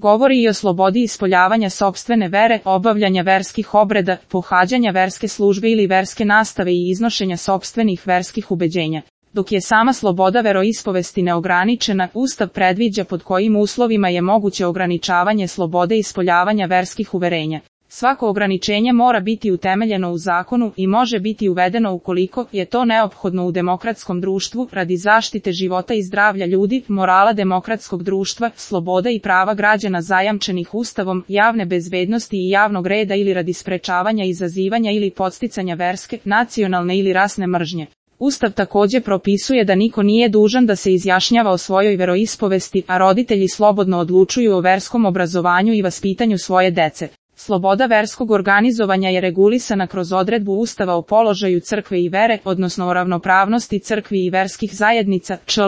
Govori i o slobodi ispoljavanja sopstvene vere, obavljanja verskih obreda, pohađanja verske službe ili verske nastave i iznošenja sopstvenih verskih ubeđenja. Dok je sama sloboda veroispovesti neograničena, Ustav predviđa pod kojim uslovima je moguće ograničavanje slobode ispoljavanja verskih uverenja. Svako ograničenje mora biti utemeljeno u zakonu i može biti uvedeno ukoliko je to neophodno u demokratskom društvu radi zaštite života i zdravlja ljudi, morala demokratskog društva, sloboda i prava građana zajamčenih Ustavom, javne bezbednosti i javnog reda ili radi sprečavanja, izazivanja ili podsticanja verske, nacionalne ili rasne mržnje. Ustav također propisuje da niko nije dužan da se izjašnjava o svojoj veroispovesti, a roditelji slobodno odlučuju o verskom obrazovanju i vaspitanju svoje dece. Sloboda verskog organizovanja je regulisana kroz odredbu Ustava o položaju crkve i vere, odnosno o ravnopravnosti crkvi i verskih zajednica, čl.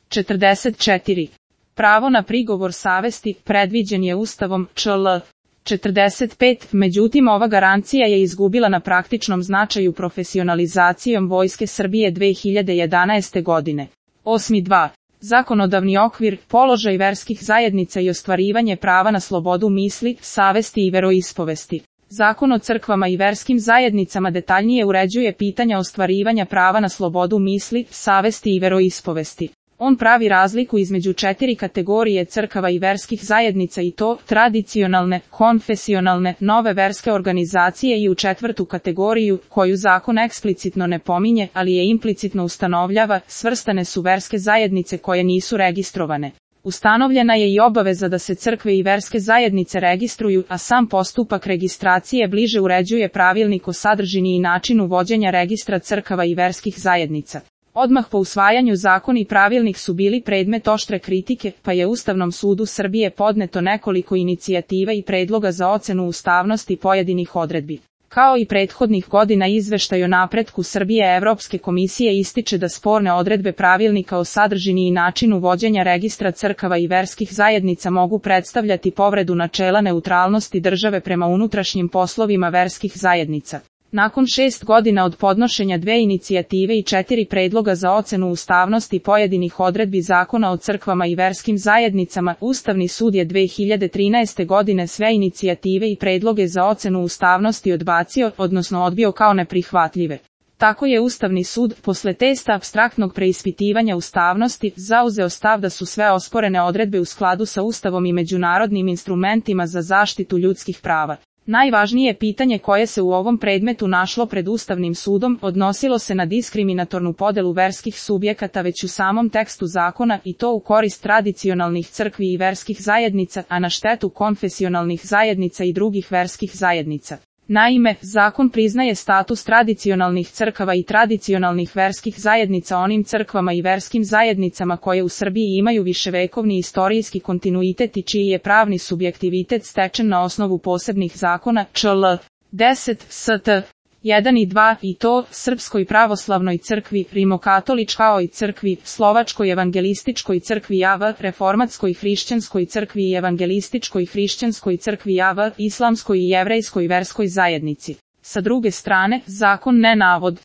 44. Pravo na prigovor savesti predviđen je Ustavom, čl. 45, međutim ova garancija je izgubila na praktičnom značaju profesionalizacijom Vojske Srbije 2011. godine. 8.2. Zakonodavni okvir, položaj verskih zajednica i ostvarivanje prava na slobodu misli, savesti i veroispovesti. Zakon o crkvama i verskim zajednicama detaljnije uređuje pitanja ostvarivanja prava na slobodu misli, savesti i veroispovesti. On pravi razliku između 4 kategorije crkava i verskih zajednica i to, tradicionalne, konfesionalne, nove verske organizacije i u 4. kategoriju, koju zakon eksplicitno ne pominje, ali je implicitno ustanovljava, svrstane su verske zajednice koje nisu registrovane. Ustanovljena je i obaveza da se crkve i verske zajednice registruju, a sam postupak registracije bliže uređuje pravilnik o sadržini i načinu vođenja registra crkava i verskih zajednica. Odmah po usvajanju zakon i pravilnik su bili predmet oštre kritike, pa je Ustavnom sudu Srbije podneto nekoliko inicijativa i predloga za ocenu ustavnosti pojedinih odredbi. Kao i prethodnih godina izveštaj o napretku Srbije Evropske komisije ističe da sporne odredbe pravilnika o sadržini i načinu vođenja registra crkava i verskih zajednica mogu predstavljati povredu načela neutralnosti države prema unutrašnjim poslovima verskih zajednica. Nakon 6 godina od podnošenja 2 inicijative i 4 predloga za ocenu ustavnosti pojedinih odredbi Zakona o crkvama i verskim zajednicama, Ustavni sud je 2013. godine sve inicijative i predloge za ocenu ustavnosti odbacio, odnosno odbio kao neprihvatljive. Tako je Ustavni sud, posle testa apstraktnog preispitivanja ustavnosti, zauzeo stav da su sve osporene odredbe u skladu sa Ustavom i međunarodnim instrumentima za zaštitu ljudskih prava. Najvažnije pitanje koje se u ovom predmetu našlo pred Ustavnim sudom odnosilo se na diskriminatornu podelu verskih subjekata već u samom tekstu zakona i to u korist tradicionalnih crkvi i verskih zajednica, a na štetu konfesionalnih zajednica i drugih verskih zajednica. Naime, zakon priznaje status tradicionalnih crkava i tradicionalnih verskih zajednica onim crkvama i verskim zajednicama koje u Srbiji imaju viševekovni istorijski kontinuitet i čiji je pravni subjektivitet stečen na osnovu posebnih zakona, čl. 10 St. 1 i 2 i to, Srpskoj pravoslavnoj crkvi, Rimokatoličkoj crkvi, Slovačkoj evangelističkoj crkvi JAV, Reformatskoj hrišćanskoj crkvi i evangelističkoj hrišćanskoj crkvi JAV, Islamskoj i jevrejskoj verskoj zajednici. Sa druge strane, zakon ne navodi